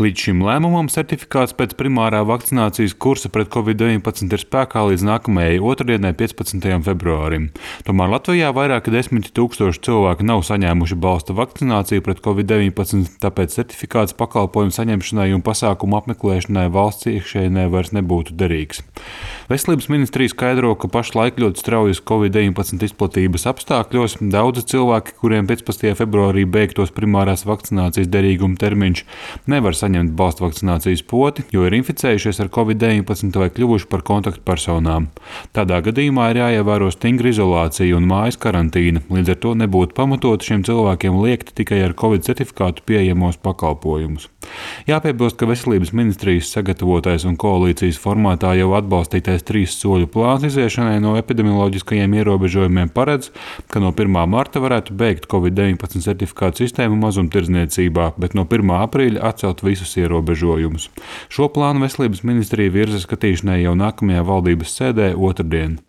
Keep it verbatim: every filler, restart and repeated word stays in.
Līdz šim lēmumam certifikāts pēc primārā vakcinācijas kursa pret covid deviņpadsmit ir spēkā līdz nākamajai otrdienai, piecpadsmitajam februārim. Tomēr Latvijā vairāki desmiti tūkstoši cilvēki nav saņēmuši balsta vakcināciju pret covid deviņpadsmit, tāpēc certifikāts pakalpojumu saņemšanai un pasākumu apmeklēšanai valsts iekšēnē vairs nebūtu derīgs. Veselības ministrija skaidro, ka pašlaik ļoti straujas covid deviņpadsmit izplatības apstākļos daudzi cilvēki, kuriem piecpadsmitajā februārī beigtos primārās vakcinācijas derīguma termiņš, nevar saņemt balstu vakcinācijas poti, jo ir inficējušies ar covid deviņpadsmit vai kļuvuši par kontaktpersonām. Tādā gadījumā ir jāievēro stingra izolācija un mājas karantīna, līdz ar to nebūtu pamatoti šiem cilvēkiem liekt tikai ar covid certifikātu pieejamos pakalpojumus. Jāpiebilst, ka Veselības ministrijas sagatavotais un koalīcijas formātā jau atbalstītais trīs soļu plāns iziešanai no epidemioloģiskajiem ierobežojumiem paredz, ka no pirmā marta varētu beigt covid deviņpadsmit certifikātu sistēmu mazumtirdzniecībā, bet no pirmā aprīļa atcelt visus ierobežojumus. Šo plānu Veselības ministrija virza skatīšanai jau nākamajā valdības sēdē otrdien.